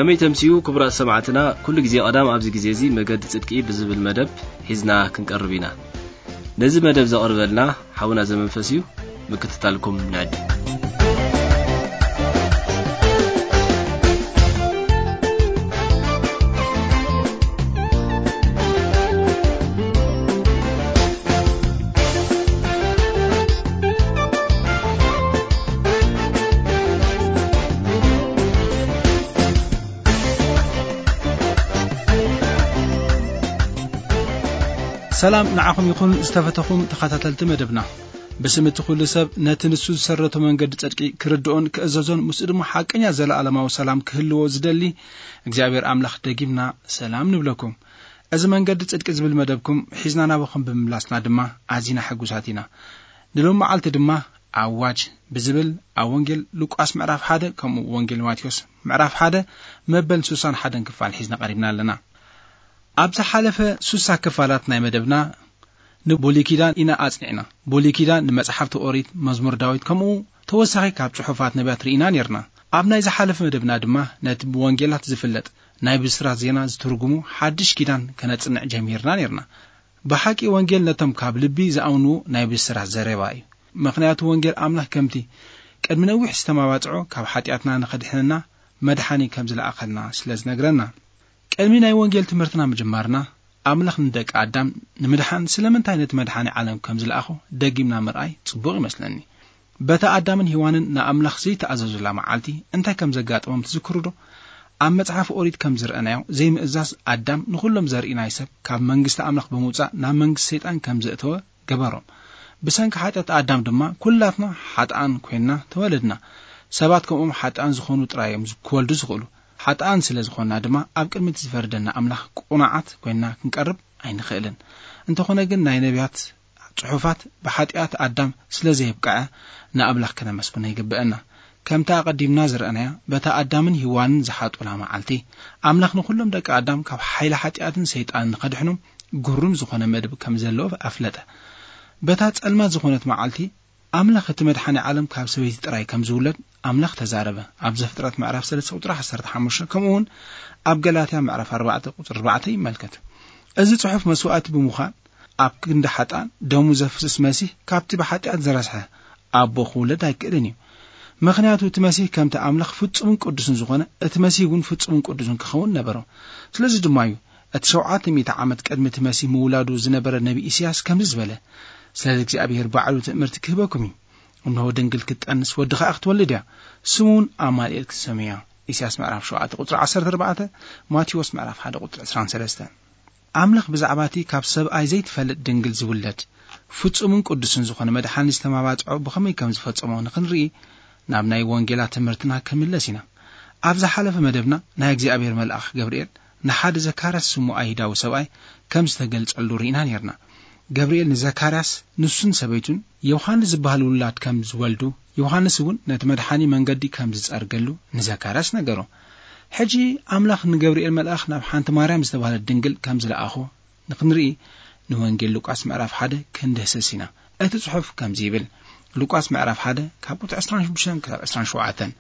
ከመይ ተምስዩ ክቡራት ሰማዕትና፣ ኩሉ ግዜ ቀዳም ኣብዚ ግዜ እዚ መገዲ ጽድቂ ብዝብል መደብ ሒዝና ክንቀርብ ኢና። ነዚ መደብ ዘቕርበልና ሓውና ዘመንፈስ እዩ። ምክትታልኩም ንዕድም። ሰላም ንዓኹም ይኹን ዝተፈተኹም ተኸታተልቲ መደብና። ብስም እቲ ኩሉ ሰብ ነቲ ንሱ ዝሰረቶ መንገዲ ጽድቂ ክርድኦን ክእዘዞን ምስኡ ድማ ሓቀኛ ዘለኣለማዊ ሰላም ክህልዎ ዝደሊ እግዚኣብሔር ኣምላኽ ደጊምና ሰላም ንብለኩም። እዚ መንገዲ ጽድቂ ዝብል መደብኩም ሒዝና ናባኹም ብምምላስና ድማ ኣዚና ሕጉሳት ኢና። ንሎም መዓልቲ ድማ ኣዋጅ ብዝብል ኣብ ወንጌል ሉቃስ ምዕራፍ ሓደ ከምኡ ወንጌል ማቴዎስ ምዕራፍ ሓደ መበል ሱሳን ሓደን ክፋል ሒዝና ቀሪብና ኣለና። ኣብ ዝሓለፈ ሱሳ ክፋላት ናይ መደብና ንብሉይ ኪዳን ኢና ኣጽኒዕና። ብሉይ ኪዳን ንመጽሓፍቲ ኦሪት፣ መዝሙር ዳዊት ከምኡ ተወሳኺ ካብ ጽሑፋት ነቢያት ርኢና ኔርና። ኣብ ናይ ዝሓለፈ መደብና ድማ ነቲ ብወንጌላት ዝፍለጥ ናይ ብስራት ዜና ዝትርጉሙ ሓድሽ ኪዳን ከነጽንዕ ጀሚርና ኔርና። ብሓቂ ወንጌል ነቶም ካብ ልቢ ዝኣምንዎ ናይ ብስራት ዘረባ እዩ። ምኽንያቱ ወንጌል ኣምላኽ ከምቲ ቅድሚ ነዊሕ ዝተማባጽዖ ካብ ሓጢኣትና ንኸድሕነና መድሓኒ ከም ዝለኣኸልና ስለ ዝነግረና። ቅድሚ ናይ ወንጌል ትምህርትና ምጅማርና ኣምላኽ ንደቂ ኣዳም ንምድሓን ስለምንታይ ነቲ መድሓኒ ዓለም ከም ዝለኣኾ ደጊምና ምርኣይ ጽቡቕ ይመስለኒ። በታ ኣዳምን ሄዋንን ንኣምላኽ ዘይተኣዘዙላ መዓልቲ እንታይ ከም ዘጋጠሞም ትዝክሩ ዶ? ኣብ መጽሓፍ ኦሪት ከም ዝረኣናዮ ዘይምእዛዝ ኣዳም ንኹሎም ዘርኢ ናይ ሰብ ካብ መንግስቲ ኣምላኽ ብምውጻእ ናብ መንግስቲ ሰይጣን ከም ዘእተወ ገበሮም። ብሰንኪ ሓጢኣት ኣዳም ድማ ኩላትና ሓጥኣን ኮይንና ተወለድና። ሰባት ከምኦም ሓጥኣን ዝኾኑ ጥራይ እዮም ክወልዱ ዝኽእሉ። ሓጥኣን ስለ ዝኾንና ድማ ኣብ ቅድሚ እቲ ዝፈርደና ኣምላኽ ቅኑዓት ኮይንና ክንቀርብ ኣይንኽእልን። እንተኾነ ግን ናይ ነቢያት ጽሑፋት ብሓጢኣት ኣዳም ስለ ዘየብቅዐ ንኣምላኽ ከነመስግኖ ይግብአና። ከምቲ ኣቐዲምና ዝረኣናያ በታ ኣዳምን ሄዋንን ዝሓጡላ መዓልቲ ኣምላኽ ንኹሎም ደቂ ኣዳም ካብ ሓይሊ ሓጢኣትን ሰይጣንን ንኸድሕኖም ግሩም ዝኾነ መደብ ከም ዘለዎ ኣፍለጠ። በታ ጸልማት ዝኾነት መዓልቲ ኣምላኽ እቲ መድሓኒ ዓለም ካብ ሰበይቲ ጥራይ ከም ዝውለድ ኣምላኽ ተዛረበ። ኣብ ዘፍጥረት ምዕራፍ ሰለስተ ቁጽሪ ዓሰርተ ሓሙሽተ ከምኡ እውን ኣብ ገላትያ ምዕራፍ ኣርባዕተ ቁጽሪ ኣርባዕተ ይመልከት። እዚ ጽሑፍ መስዋእቲ ብምዃን ኣብ ክንዲ ሓጥኣን ደሙ ዘፍስስ መሲህ ካብቲ ብሓጢኣት ዝረስሐ ኣቦ ክውለድ ኣይክእልን እዩ። ምኽንያቱ እቲ መሲህ ከምቲ ኣምላኽ ፍጹምን ቅዱስን ዝኾነ እቲ መሲህ እውን ፍጹምን ቅዱስን ክኸውን ነበሮ። ስለዚ ድማ እዩ እቲ ሸውዓተ ሚእቲ ዓመት ቅድሚ እቲ መሲህ ምውላዱ ዝነበረ ነቢ ኢሳያስ ከምዚ ዝበለ፣ ስለዚ እግዚኣብሔር ባዕሉ ትእምርቲ ክህበኩም እዩ። እንሆ ድንግል ክትጠንስ ወዲ ኸኣ ክትወልድ እያ፣ ስሙ እውን ኣማኑኤል ክትሰምዮ እያ። ኢሳያስ ምዕራፍ ሸውዓተ ቁጽሪ ዓሰርተ ኣርባዕተ፣ ማቴዎስ ምዕራፍ ሓደ ቁጽሪ ዕስራን ሰለስተን። ኣምላኽ ብዛዕባ እቲ ካብ ሰብኣይ ዘይትፈልጥ ድንግል ዝውለድ ፍጹምን ቅዱስን ዝኾነ መድሓኒ ዝተማባጽዖ ብኸመይ ከም ዝፈጸሞ ንኽንርኢ ናብ ናይ ወንጌላት ትምህርትና ክምለስ ኢና። ኣብ ዝሓለፈ መደብና ናይ እግዚኣብሔር መልኣኽ ገብርኤል ንሓደ ዘካርያስ ስሙ ኣይሁዳዊ ሰብኣይ ከም ዝተገልጸሉ ርኢና ኔርና። ገብርኤል ንዘካርያስ ንሱን ሰበይቱን ዮሃንስ ዝበሃል ውላድ ከም ዝወልዱ፣ ዮሃንስ እውን ነቲ መድሓኒ መንገዲ ከም ዝጸርገሉ ንዘካርያስ ነገሮ። ሕጂ ኣምላኽ ንገብርኤል መልኣኽ ናብ ሓንቲ ማርያም ዝተባህለት ድንግል ከም ዝለኣኾ ንኽንርኢ ንወንጌል ሉቃስ ምዕራፍ ሓደ ክንድህስስ ኢና። እቲ ጽሑፍ ከምዚ ይብል፣ ሉቃስ ምዕራፍ ሓደ ካብ ቁጽሪ ዕስራን ሽዱሽተን ክሳብ ዕስራን ሸውዓተን።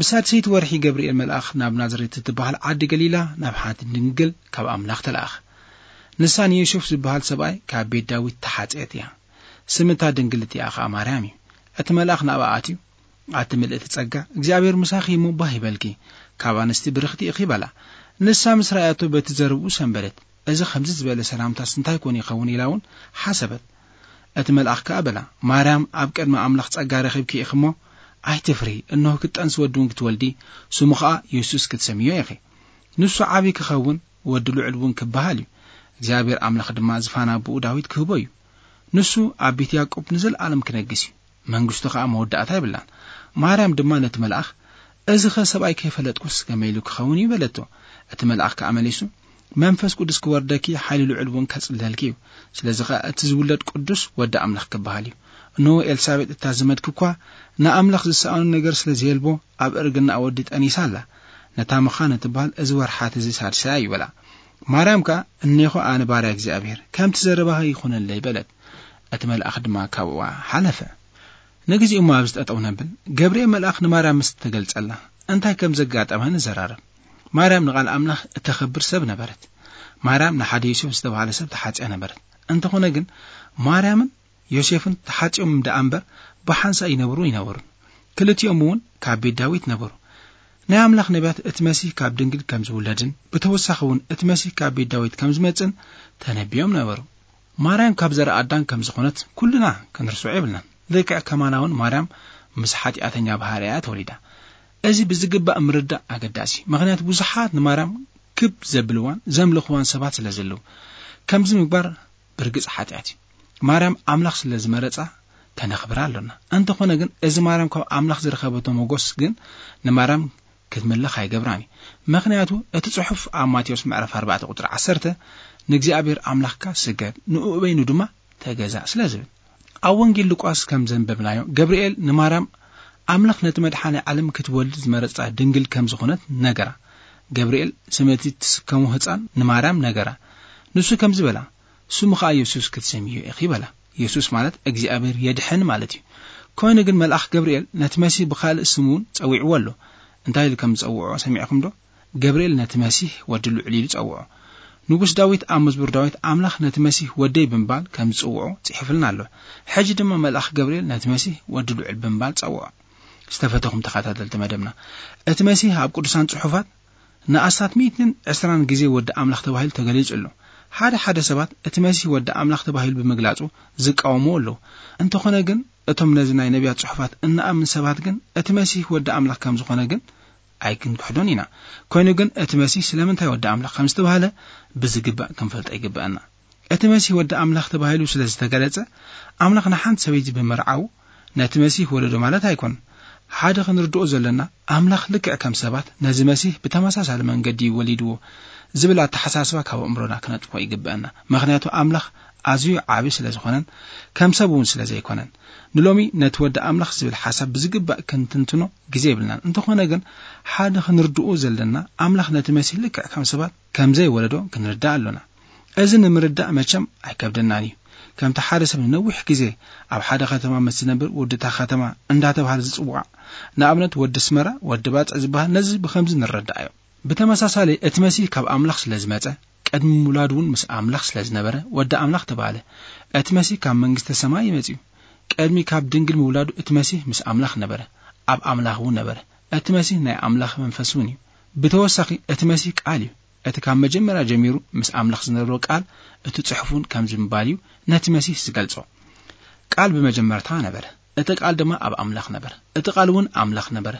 ብሳድሰይቲ ወርሒ ገብርኤል መልኣኽ ናብ ናዝሬት እትበሃል ዓዲ ገሊላ ናብ ሓንቲ ድንግል ካብ ኣምላኽ ተለኣኸ። ንሳ ንዮሴፍ ዝበሃል ሰብኣይ ካብ ቤት ዳዊት ተሓጽየት እያ። ስም እታ ድንግል እቲኣ ኸኣ ማርያም እዩ። እቲ መልኣኽ ናብኣ ኣትዩ፣ ኣቲ ምልእቲ ጸጋ፣ እግዚኣብሔር ምሳኺ እሞ ባህ ይበልኪ፣ ካብ ኣንስቲ ብርኽቲ ኢኺ በላ። ንሳ ምስ ረኣያቶ በቲ ዘረብኡ ሰንበደት። እዚ ከምዚ ዝበለ ሰላምታስ እንታይ ኮን ይኸውን ኢላ እውን ሓሰበት። እቲ መልኣኽ ከኣ በላ፣ ማርያም፣ ኣብ ቅድሚ ኣምላኽ ጸጋ ረኺብኪ ኢኺ እሞ ኣይትፍሪ፣ እንሆ ክትጠንሲ ወዲ እውን ክትወልዲ፣ ስሙ ኸኣ የሱስ ክትሰምዮ ኢኺ። ንሱ ዓቢ ክኸውን፣ ወዲ ልዑል እውን ክበሃል እዩ። እግዚኣብሔር ኣምላኽ ድማ ዝፋን ኣቦኡ ዳዊት ክህቦ እዩ። ንሱ ኣብ ቤት ያዕቆብ ንዘለኣለም ክነግስ እዩ። መንግስቱ ኸኣ መወዳእታ የብላን። ማርያም ድማ ነቲ መልኣኽ፣ "እዚኸ ሰብኣይ ከይፈለጥኩስ ከመይ ኢሉ ክኸውን እዩ?" በለቶ። እቲ መልኣኽ ከኣ መሊሱ፣ "መንፈስ ቅዱስ ክወርደኪ፣ ሓይሊ ልዑል እውን ከጽልለልኪ እዩ። ስለዚ ኸኣ እቲ ዝውለድ ቅዱስ ወዲ ኣምላኽ ክበሃል እዩ። እንሆ ኤልሳቤጥ እታ ዝመድኪ እኳ ንኣምላኽ ዝሰኣኖ ነገር ስለ ዘየልቦ ኣብ እርግናኣ ወዲ ጠኒሳ ኣላ። ነታ ምዃን እትበሃል እዚ ወርሓት እዚ ሳድሳያ እዩ" በላ። ማርያም ከኣ፣ "እኔኹ ኣነ ባርያ እግዚኣብሔር፣ ከምቲ ዘረባኺ ይኹነለይ" በለት። እቲ መልኣኽ ድማ ካብኣ ሓለፈ። ንግዜኡ እሞ ኣብዚ ጠጠው ነብል። ገብርኤል መልኣኽ ንማርያም ምስ ተገልጸላ እንታይ ከም ዘጋጠመ ንዘራረብ። ማርያም ንቓል ኣምላኽ እተኸብር ሰብ ነበረት። ማርያም ንሓደ ዮሴፍ ዝተባህለ ሰብ ተሓጽያ ነበረት። እንተኾነ ግን ማርያምን ዮሴፍን ተሓጽዮም ደኣ እምበር ብሓንሳእ ይነብሩ ይነበሩን። ክልቲኦም እውን ካብ ቤት ዳዊት ነበሩ። ናይ ኣምላኽ ነቢያት እቲ መሲህ ካብ ድንግል ከም ዝውለድን ብተወሳኺ እውን እቲ መሲህ ካብ ቤት ዳዊት ከም ዝመጽእን ተነቢዮም ነበሩ። ማርያም ካብ ዘርኢ ኣዳም ከም ዝኾነት ኩልና ክንርስዖ የብልናን። ልክዕ ከማና እውን ማርያም ምስ ሓጢኣተኛ ባህርያ ተወሊዳ። እዚ ብዝግባእ ምርዳእ ኣገዳሲ እዩ። ምኽንያቱ ብዙሓት ንማርያም ክብ ዘብልዋን ዘምልኽዋን ሰባት ስለ ዘለዉ፣ ከምዚ ምግባር ብርግጽ ሓጢኣት እዩ። ማርያም ኣምላኽ ስለ ዝመረጻ ከነኽብራ ኣሎና። እንተኾነ ግን እዚ ማርያም ካብ ኣምላኽ ዝረኸበቶ ሞጎስ ግን ንማርያም ክትምልኽ ኣይገብራን እዩ። ምኽንያቱ እቲ ጽሑፍ ኣብ ማቴዎስ ምዕራፍ ኣርባዕተ ቁጽሪ ዓሰርተ "ንእግዚኣብሔር ኣምላኽካ ስገድ፣ ንእኡ በይኑ ድማ ተገዛእ" ስለ ዝብል። ኣብ ወንጌል ሉቃስ ከም ዘንበብናዮ፣ ገብርኤል ንማርያም ኣምላኽ ነቲ መድሓኒ ዓለም ክትወልድ ዝመረጻ ድንግል ከም ዝኾነት ነገራ። ገብርኤል ስም እቲ ትስከሞ ህጻን ንማርያም ነገራ። ንሱ ከምዚ በላ፣ "ስሙ ኸኣ የሱስ ክትሰምዮ ኢኺ" በላ። የሱስ ማለት እግዚኣብሔር የድሕን ማለት እዩ። ኮይኑ ግን መልኣኽ ገብርኤል ነቲ መሲህ ብኻልእ ስም እውን ጸዊዕዎ ኣሎ። እንታይ ኢሉ ከም ዝጸውዖ ሰሚዕኹም ዶ? ገብርኤል ነቲ መሲህ ወዲ ልዑል ኢሉ ጸውዖ። ንጉስ ዳዊት ኣብ መዝሙር ዳዊት ኣምላኽ ነቲ መሲህ ወደይ ብምባል ከም ዝጽውዖ ጽሒፍልና ኣሎ። ሕጂ ድማ መልኣኽ ገብርኤል ነቲ መሲህ ወዲ ልዑል ብምባል ጸውዖ። ዝተፈተኹም ተኸታተልቲ መደብና፣ እቲ መሲህ ኣብ ቅዱሳን ጽሑፋት ንኣስታት ሚእትን ዕስራን ግዜ ወዲ ኣምላኽ ተባሂሉ ተገሊጹ ኣሎ። ሓደ ሓደ ሰባት እቲ መሲህ ወዲ ኣምላኽ ተባሂሉ ብምግላጹ ዝቃወሙ ኣለዉ። እንተኾነ ግን እቶም ነዚ ናይ ነቢያት ጽሑፋት እንኣምን ሰባት ግን እቲ መሲህ ወዲ ኣምላኽ ከም ዝኾነ ግን ኣይክንክሕዶን ኢና። ኮይኑ ግን እቲ መሲህ ስለምንታይ ወዲ ኣምላኽ ከም ዝተባህለ ብዝግባእ ክንፈልጦ ይግበኣና። እቲ መሲህ ወዲ ኣምላኽ ተባሂሉ ስለ ዝተገለጸ፣ ኣምላኽ ንሓንቲ ሰበይቲ ብምርዓው ነቲ መሲህ ወለዶ ማለት ኣይኮነን። ሓደ ክንርድኦ ዘለና፣ ኣምላኽ ልክዕ ከም ሰባት ነዚ መሲህ ብተመሳሳሊ መንገዲ እዩ ወሊድዎ ዝብል ኣተሓሳስባ ካብ ኣእምሮና ክነጥፍኦ ይግበኣና። ምኽንያቱ ኣምላኽ ኣዝዩ ዓቢ ስለ ዝኾነን ከም ሰብ እውን ስለ ዘይኮነን። ንሎሚ ነቲ ወዲ ኣምላኽ ዝብል ሓሳብ ብዝግባእ ክንትንትኖ ግዜ የብልናን። እንተኾነ ግን ሓደ ክንርድኦ ዘለና፣ ኣምላኽ ነቲ መሲህ ልክዕ ከም ሰባት ከም ዘይወለዶ ክንርዳእ ኣሎና። እዚ ንምርዳእ መቸም ኣይከብደናን እዩ። ከምቲ ሓደ ሰብ ንነዊሕ ግዜ ኣብ ሓደ ከተማ ምስ ዝነብር ወዲ እታ ከተማ እንዳተባህለ ዝጽዋዕ፣ ንኣብነት ወዲ ኣስመራ፣ ወዲ ባጽዕ ዝበሃል ነዚ ብኸምዚ ንረዳእዮ። ብተመሳሳሊ እቲ መሲህ ካብ ኣምላኽ ስለ ዝመጸ፣ ቅድሚ ምውላዱ እውን ምስ ኣምላኽ ስለ ዝነበረ ወዲ ኣምላኽ ተባህለ። እቲ መሲህ ካብ መንግስተ ሰማይ እዩ መጺኡ። ቅድሚ ካብ ድንግል ምውላዱ እቲ መሲህ ምስ ኣምላኽ ነበረ፣ ኣብ ኣምላኽ እውን ነበረ። እቲ መሲህ ናይ ኣምላኽ መንፈስ እውን እዩ። ብተወሳኺ እቲ መሲህ ቃል እዩ። እቲ ካብ መጀመርያ ጀሚሩ ምስ ኣምላኽ ዝነበረ ቃል፣ እቲ ጽሑፍ እውን ከምዚ ምባል እዩ ነቲ መሲህ ዝገልጾ። ቃል ብመጀመርታ ነበረ፣ እቲ ቃል ድማ ኣብ ኣምላኽ ነበረ፣ እቲ ቃል እውን ኣምላኽ ነበረ።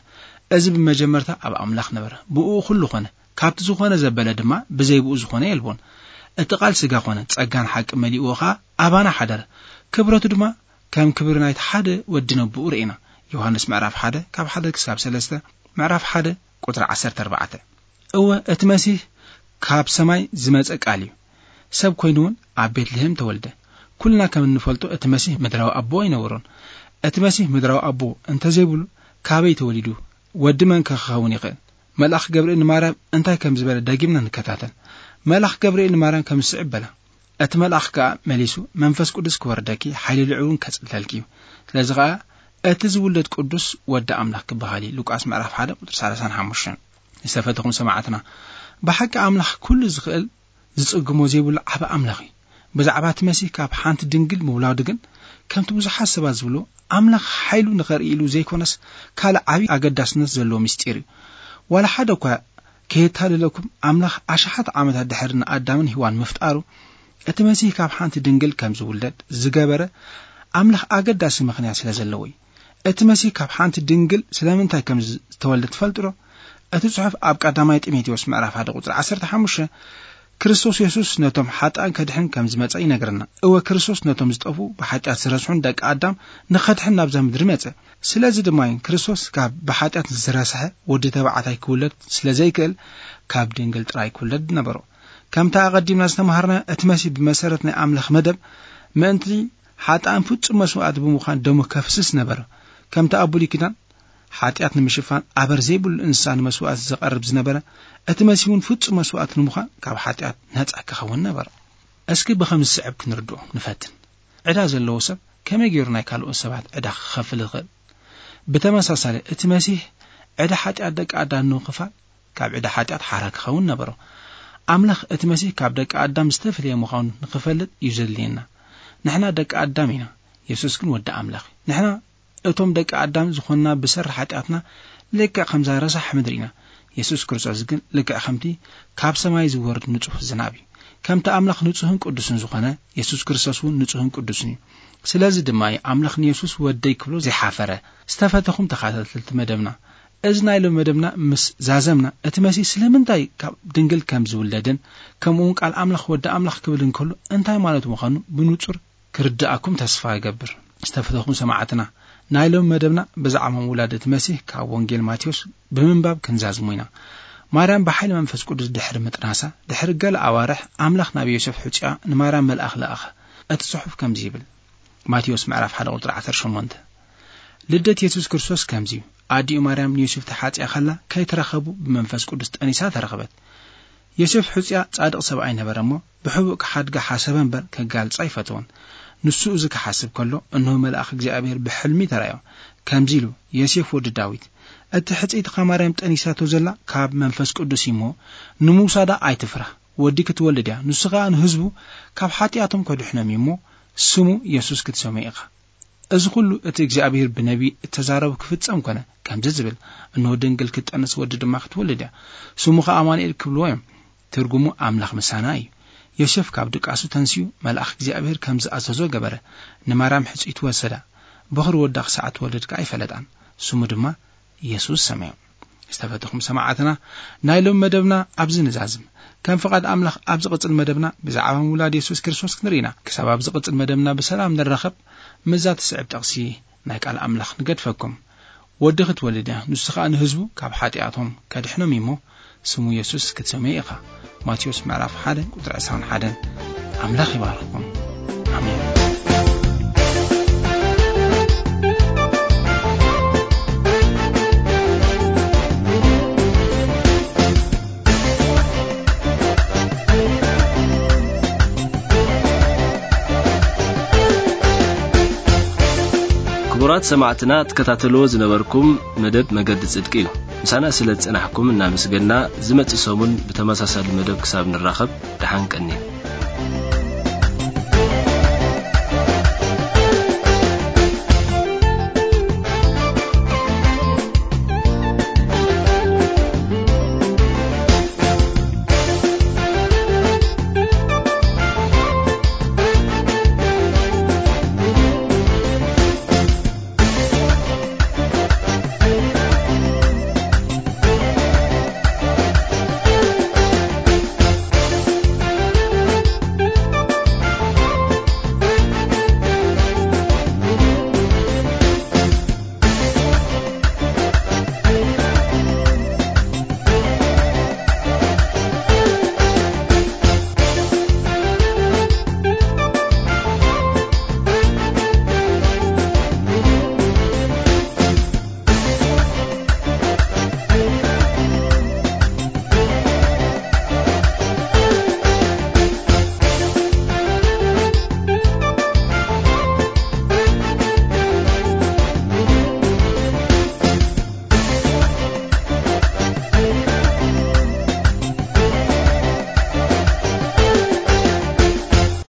እዚ ብመጀመርታ ኣብ ኣምላኽ ነበረ። ብእኡ ኩሉ ኾነ። ካብቲ ዝኾነ ዘበለ ድማ ብዘይ ብኡ ዝኾነ የልቦን። እቲ ቃል ስጋ ኾነ፣ ጸጋን ሓቂ መሊእዎ ኸኣ ኣባና ሓደረ። ክብረቱ ድማ ከም ክብሪ ናይቲ ሓደ ወዲ ነብኡ ርኢና። ዮሃንስ ምዕራፍ ሓደ ካብ ሓደ ክሳብ ሰለስተ፣ ምዕራፍ ሓደ ቁጽሪ ዓሰርተ ኣርባዕተ። እወ፣ እቲ መሲህ ካብ ሰማይ ዝመጸ ቃል እዩ። ሰብ ኮይኑ እውን ኣብ ቤትልሄም ተወልደ። ኩልና ከም እንፈልጦ እቲ መሲህ ምድራዊ ኣቦ ኣይነበሮን። እቲ መሲህ ምድራዊ ኣቦ እንተዘይብሉ ካበይ ተወሊዱ? ወዲ መን ከ ክኸውን ይኽእል? መልኣኽ ገብርኤል ንማርያም እንታይ ከም ዝበለ ደጊምና ንከታተል። መልኣኽ ገብርኤል ንማርያም ከም ዝስዕብ በላ። እቲ መልኣኽ ከኣ መሊሱ፣ "መንፈስ ቅዱስ ክወርደኪ፣ ሓይሊ ልዑል እውን ከጽልለልኪ እዩ። ስለዚ ኸኣ እቲ ዝውለድ ቅዱስ ወዲ ኣምላኽ ክበሃል እዩ።" ሉቃስ ምዕራፍ ሓደ ቁጽሪ ሰላሳን ሓሙሽተን። ዝተፈተኹም ሰማዕትና፣ ብሓቂ ኣምላኽ ኩሉ ዝኽእል ዝጽግሞ ዘይብሉ ዓቢ ኣምላኽ እዩ። ብዛዕባ እቲ መሲህ ካብ ሓንቲ ድንግል ምውላዱ ግን፣ ከምቲ ብዙሓት ሰባት ዝብሉ፣ ኣምላኽ ሓይሉ ንኸርኢ ኢሉ ዘይኮነስ፣ ካልእ ዓቢ ኣገዳስነት ዘለዎ ምስጢር እዩ። ዋላ ሓደ እኳ ከየታልለኩም፣ ኣምላኽ ኣሽሓት ዓመታት ድሕሪ ንኣዳምን ሄዋን ምፍጣሩ፣ እቲ መሲህ ካብ ሓንቲ ድንግል ከም ዝውለድ ዝገበረ ኣምላኽ ኣገዳሲ ምኽንያት ስለ ዘለዎ እዩ። እቲ መሲህ ካብ ሓንቲ ድንግል ስለምንታይ ከም ዝተወልደ ትፈልጡ ዶ? እቲ ጽሑፍ ኣብ ቀዳማይ ጢሞቴዎስ ምዕራፍ ሓደ ቁጽሪ ዓሰርተ ሓሙሽተ፣ ክርስቶስ የሱስ ነቶም ሓጥኣን ከድሕን ከም ዝመጸ ይነግረና። እወ፣ ክርስቶስ ነቶም ዝጠፍኡ ብሓጢኣት ዝረስሑን ደቂ ኣዳም ንኸድሕን ናብዛ ምድሪ መጸ። ስለዚ ድማ እዩ ክርስቶስ ካብ ብሓጢኣት ዝረስሐ ወዲ ተባዕታይ ክውለድ ስለ ዘይክእል ካብ ድንግል ጥራይ ክውለድ ነበሮ። ከምቲ ኣቐዲምና ዝተማሃርና እቲ መሲህ ብመሰረት ናይ ኣምላኽ መደብ ምእንቲ ሓጥኣን ፍጹም መስዋእቲ ብምዃን ደሙ ከፍስስ ነበረ። ከምቲ ኣብ ብሉይ ኪዳን ሓጢኣት ንምሽፋን ኣበር ዘይብሉ እንስሳ ንመስዋእቲ ዝቐርብ ዝነበረ፣ እቲ መሲህ እውን ፍጹም መስዋእቲ ንምዃን ካብ ሓጢኣት ነጻ ክኸውን ነበረ። እስኪ ብኸም ዝስዕብ ክንርድኦ ንፈትን። ዕዳ ዘለዎ ሰብ ከመይ ገይሩ ናይ ካልኦት ሰባት ዕዳ ክኸፍል ይኽእል? ብተመሳሳሊ፣ እቲ መሲህ ዕዳ ሓጢኣት ደቂ ኣዳም ንምኽፋል ካብ ዕዳ ሓጢኣት ሓራ ክኸውን ነበሮ። ኣምላኽ እቲ መሲህ ካብ ደቂ ኣዳም ዝተፈለየ ምዃኑ ንኽፈልጥ እዩ ዘድልየና። ንሕና ደቂ ኣዳም ኢና፣ የሱስ ግን ወዲ ኣምላኽ እዩ። ንሕና እቶም ደቂ ኣዳም ዝኾንና ብሰሪ ሓጢኣትና ልክዕ ከምዛ ረሳሕ ምድሪ ኢና። የሱስ ክርስቶስ ግን ልክዕ ከምቲ ካብ ሰማይ ዝወርድ ንጹህ ዝናብ እዩ። ከምቲ ኣምላኽ ንጹህን ቅዱስን ዝኾነ፣ የሱስ ክርስቶስ እውን ንጹህን ቅዱስን እዩ። ስለዚ ድማ እዩ ኣምላኽ ንየሱስ ወደይ ክብሎ ዘይሓፈረ። ዝተፈተኹም ተኸታተልቲ መደብና፣ እዚ ናይ ሎሚ መደብና ምስ ዛዘምና፣ እቲ መሲህ ስለምንታይ ካብ ድንግል ከም ዝውለድን ከምኡ እውን ቃል ኣምላኽ ወዲ ኣምላኽ ክብል እንከሎ እንታይ ማለት ምዃኑ ብንጹር ክርድኣኩም ተስፋ እገብር። ዝተፈተኹም ሰማዕትና፣ ናይ ሎሚ መደብና ብዛዕባ ምውላድ እቲ መሲህ ካብ ወንጌል ማቴዎስ ብምንባብ ክንዛዝሙ ኢና። ማርያም ብሓይሊ መንፈስ ቅዱስ ድሕሪ ምጥናሳ፣ ድሕሪ ገለ ኣዋርሕ ኣምላኽ ናብ ዮሴፍ ሕጹያ ንማርያም መልኣኽ ለኣኸ። እቲ ጽሑፍ ከምዚ ይብል። ማቴዎስ ምዕራፍ ሓደ ቁጽሪ ዓሰርተ ሸሞንተ። ልደት የሱስ ክርስቶስ ከምዚ እዩ። ኣዲኡ ማርያም ንዮሴፍ ተሓጽያ ከላ ከይተራኸቡ ብመንፈስ ቅዱስ ጠኒሳ ተረኸበት። ዮሴፍ ሕጹያ ጻድቕ ሰብኣይ ነበረ እሞ ብሕቡእ ክሓድጋ ሓሰበ እምበር ከጋልጻ ኣይፈተወን። ንሱ እዚ ክሓስብ ከሎ እንሆ መልኣኽ እግዚኣብሔር ብሕልሚ ተራዮ። ከምዚ ኢሉ፣ ዮሴፍ ወዲ ዳዊት፣ እቲ ሕጽይትኻ ማርያም ጠኒሳቶ ዘላ ካብ መንፈስ ቅዱስ እዩ እሞ ንምውሳዳ ኣይትፍራህ። ወዲ ክትወልድ እያ፣ ንሱ ኸኣ ንህዝቡ ካብ ሓጢኣቶም ከድሕኖም እዩ እሞ ስሙ የሱስ ክትሰምዮ ኢኻ። እዚ ኹሉ እቲ እግዚኣብሔር ብነቢይ እተዛረቦ ክፍጸም ኮነ። ከምዚ ዝብል፣ እንሆ ድንግል ክትጠንስ ወዲ ድማ ክትወልድ እያ፣ ስሙ ኸኣ ኣማኑኤል ክብልዎ እዮም። ትርጉሙ ኣምላኽ ምሳና እዩ። ዮሴፍ ካብ ድቃሱ ተንሲኡ መልኣኽ እግዚኣብሔር ከም ዝኣዘዞ ገበረ። ንማርያም ሕጽይቱ ወሰዳ። በኹር ወዳ ክሳዕ እትወልድ ከኣ ኣይፈለጣን። ስሙ ድማ የሱስ ሰመዮ። ዝተፈተኹም ሰማዕትና፣ ናይ ሎም መደብና ኣብዚ ንዛዝም። ከም ፍቓድ ኣምላኽ ኣብ ዝቕጽል መደብና ብዛዕባ ምውላድ የሱስ ክርስቶስ ክንርኢና። ክሳብ ኣብ ዝቕጽል መደብና ብሰላም ንራኸብ፣ ምስዛ ትስዕብ ጠቕሲ ናይ ቃል ኣምላኽ ንገድፈኩም። ወዲ ክትወልድ እያ፣ ንሱ ኸኣ ንህዝቡ ካብ ሓጢኣቶም ከድሕኖም እዩ እሞ፣ ስሙ የሱስ ክትሰምዮ ኢኻ። ማቴዎስ ምዕራፍ ሓደ ቁጽሪ ዕስራን ሓደን። ኣምላኽ ይባርኽኩም። ኣሜን። ክቡራት ሰማዕትና፣ ትከታተልዎ ዝነበርኩም መደብ መገዲ ጽድቂ እዩ። ምሳና ስለ ዝጸናሕኩም እናመስገና፣ ዝመጽእ ሰሙን ብተመሳሳሊ መደብ ክሳብ ንራኸብ፣ ደሓን ቀንዩ።